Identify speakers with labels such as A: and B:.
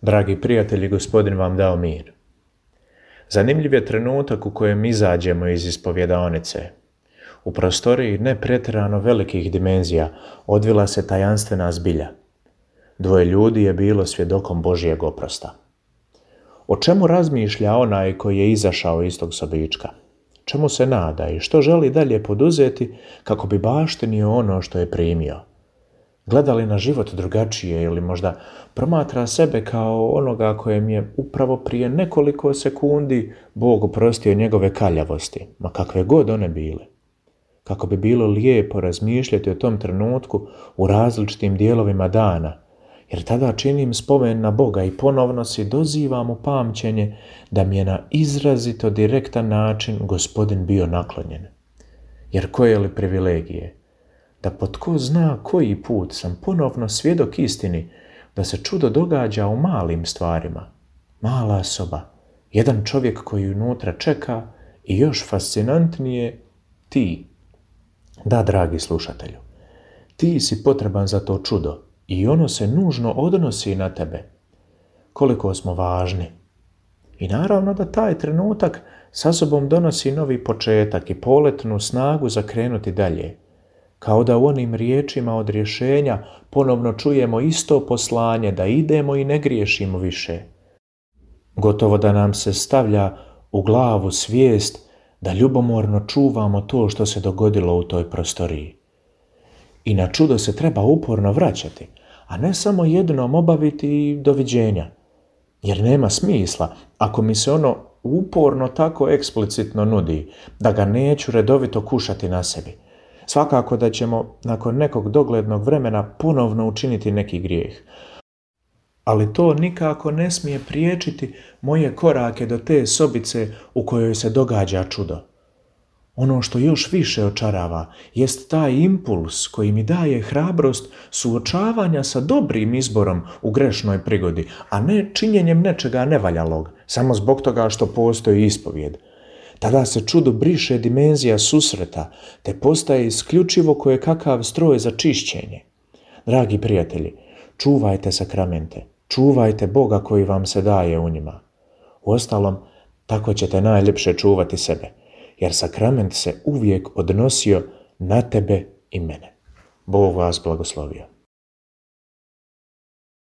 A: Dragi prijatelji, Gospodin vam dao mir. Zanimljiv je trenutak u kojem izađemo iz ispovjedaonice. U prostoriji ne pretjerano velikih dimenzija odvila se tajanstvena zbilja. 2 ljudi je bilo svjedokom Božjeg oprosta. O čemu razmišlja onaj koji je izašao iz tog sobička? Čemu se nada i što želi dalje poduzeti kako bi baštinio ono što je primio? Gleda li na život drugačije ili možda promatra sebe kao onoga kojem je upravo prije nekoliko sekundi Bog oprostio njegove kaljavosti, ma kakve god one bile? Kako bi bilo lijepo razmišljati o tom trenutku u različitim dijelovima dana, jer tada činim spomen na Boga i ponovno si dozivam u pamćenje da mi je na izrazito direktan način Gospodin bio naklonjen. Jer koje li privilegije da po tko zna koji put sam ponovno svjedok istini da se čudo događa u malim stvarima. Mala soba, jedan čovjek koji unutra čeka i još fascinantnije ti. Da, dragi slušatelju, ti si potreban za to čudo i ono se nužno odnosi na tebe. Koliko smo važni. I naravno da taj trenutak sa sobom donosi novi početak i poletnu snagu za krenuti dalje. Kao da u onim riječima od rješenja ponovno čujemo isto poslanje da idemo i ne griješimo više. Gotovo da nam se stavlja u glavu svijest da ljubomorno čuvamo to što se dogodilo u toj prostoriji. I na čudo se treba uporno vraćati, a ne samo jednom obaviti i doviđenja. Jer nema smisla ako mi se ono uporno tako eksplicitno nudi da ga neću redovito kušati na sebi. Svakako da ćemo nakon nekog doglednog vremena ponovno učiniti neki grijeh. Ali to nikako ne smije priječiti moje korake do te sobice u kojoj se događa čudo. Ono što još više očarava jest taj impuls koji mi daje hrabrost suočavanja sa dobrim izborom u grešnoj prigodi, a ne činjenjem nečega nevaljalog, samo zbog toga što postoji ispovijed. Tada se čudo briše dimenzija susreta, te postaje isključivo kojekakav stroj za čišćenje. Dragi prijatelji, čuvajte sakramente, čuvajte Boga koji vam se daje u njima. Uostalom, tako ćete najljepše čuvati sebe, jer sakrament se uvijek odnosio na tebe i mene. Bog vas blagoslovio.